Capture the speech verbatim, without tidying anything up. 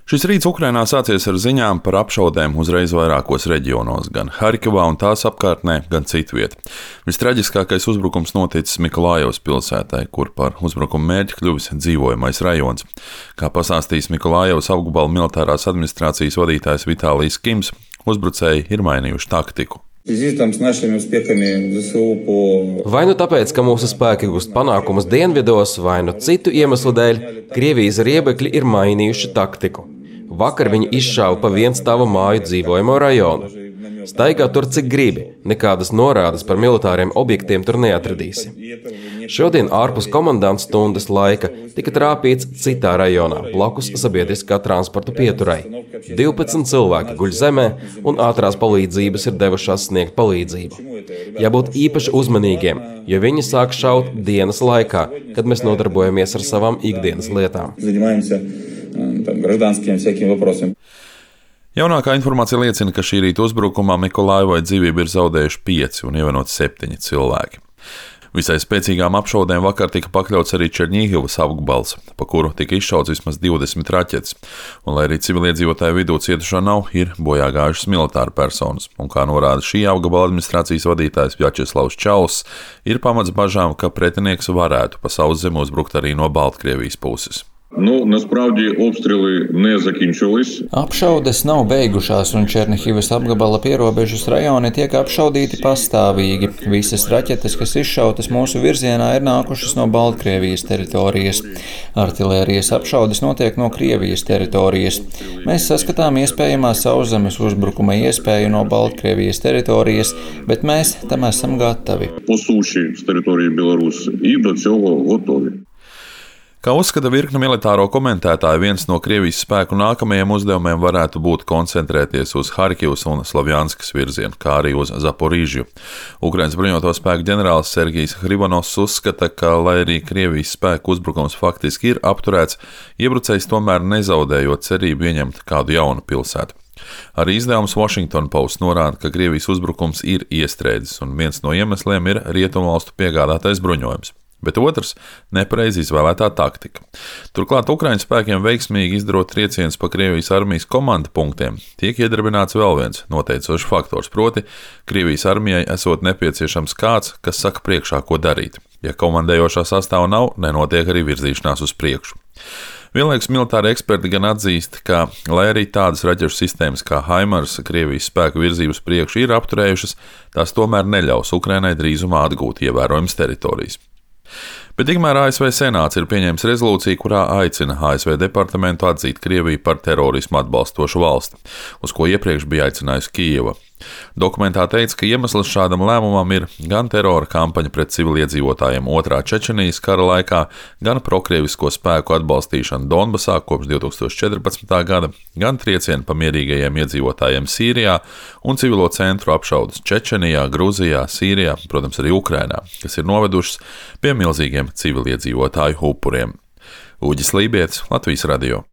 Šis rīts Ukrainā sācies ar ziņām par apšaudēm uzreiz vairākos reģionos, gan Harkivā un tās apkārtnē, gan citviet. Vistraģiskākais uzbrukums noticis Mikolājevas pilsētai, kur par uzbrukumu mērķi kļuvis dzīvojamais rajons. Kā pastāstījis Mikolājevas apgabala militārās administrācijas vadītājs Vitālijs Kims, uzbrucēji ir mainījuši taktiku. Vai nu tāpēc, ka mūsu spēki gūst panākumus dienvidos, vai nu citu iemeslu dēļ, Krievijas riebekļi ir mainījuši taktiku. Vakar viņi izšāva pa vienstāvu māju dzīvojamo rajonu. Staigā tur cik gribi, nekādas norādes par militāriem objektiem tur neatradīsi. Šodien ārpus komandantas stundas laika tika trāpīts citā rajonā, blakus sabiedriskā transporta pieturai. divpadsmit cilvēki guļ zemē un ātrās palīdzības ir devušās sniegt palīdzību. Jābūt īpaši uzmanīgiem, jo viņi sāk šaut dienas laikā, kad mēs nodarbojamies ar savām ikdienas lietām. Jaunākā informācija liecina, ka šī rīta uzbrukumā Mikolājevai dzīvību ir zaudējuši pieci un ievainoti septiņi cilvēki. Visai spēcīgām apšaudēm vakar tika pakļauts arī Černīhivas apgabals, pa kuru tika izšauts vismaz divdesmit raķetes, un lai arī civiliedzīvotāju vidū cietušo nav, ir bojā gājušas militāra personas, un kā norāda šī apgabala administrācijas vadītājs Vjačeslavs Čauss, ir pamats bažām, ka pretinieks varētu pa sauszemi uzbrukt arī no Baltkrievijas puses. Nu, насправді обстріли не закінчились. Apšaudes nav beigušās, un Černihivas apgabala pierobežas rajoni tiek apšaudīti pastāvīgi. Visas raķetes, kas izšautas mūsu virzienā, ir nākušas no Baltkrievijas teritorijas. Artilērijas apšaudes notiek no Krievijas teritorijas. Mēs saskatām iespējamā sauszemes uzbrukuma iespēju no Baltkrievijas teritorijas, bet mēs tam esam gatavi. По суші з території Білорусі і до цього готові. Kā uzskata virkne militāro komentētāju, viens no Krievijas spēku nākamajiem uzdevumiem varētu būt koncentrēties uz Harkivas un Slavjanskas virzienu, kā arī uz Zaporīžju. Ukrainas bruņoto spēku ģenerālis Sergijs Hrivanovs uzskata, ka, lai arī Krievijas spēku uzbrukums faktiski ir apturēts, iebrucējs tomēr nezaudējot cerību ieņemt kādu jaunu pilsētu. Arī izdevums Washington Post norāda, ka Krievijas uzbrukums ir iestrēdzis, un viens no iemesliem ir rietumvalstu piegādātais bruņojums. Bet otrs – nepareizi izvēlētā taktika. Turklāt Ukraiņu spēkiem veiksmīgi izdarot triecienus pa Krievijas armijas komanda punktiem, tiek iedarbināts vēl viens noteicošs faktors, proti Krievijas armijai esot nepieciešams kāds, kas saka priekšā, ko darīt. Ja komandējošā sastāva nav, nenotiek arī virzīšanās uz priekšu. Vienlaikus militāri eksperti gan atzīst, ka, lai arī tādas raķešu sistēmas kā Haimars Krievijas spēku virzības priekšu ir apturējušas, tās tomēr neļaus Ukrainai drīzumā atgūt ievērojamas teritorijas. Bet tikmēr A S V Senāts ir pieņēmis rezolūciju, kurā aicina A S V departamentu atzīt Krieviju par terorismu atbalstošu valsti, uz ko iepriekš bija aicinājusi Kijeva. Dokumentā teica, ka iemesls šādam lēmumam ir gan terora kampaņa pret civiliedzīvotājiem otrā Čečenijas kara laikā, gan prokrievisko spēku atbalstīšana Donbasā kopš divi tūkstoši četrpadsmitā gada, gan triecieni pa mierīgajiem iedzīvotājiem Sīrijā un civilo centru apšaudes Čečenijā, Gruzijā, Sīrijā, protams arī Ukrainā, kas ir novedušas pie milzīgiem civiliedzīvotāju upuriem. Uģis Lībietis, Latvijas radio.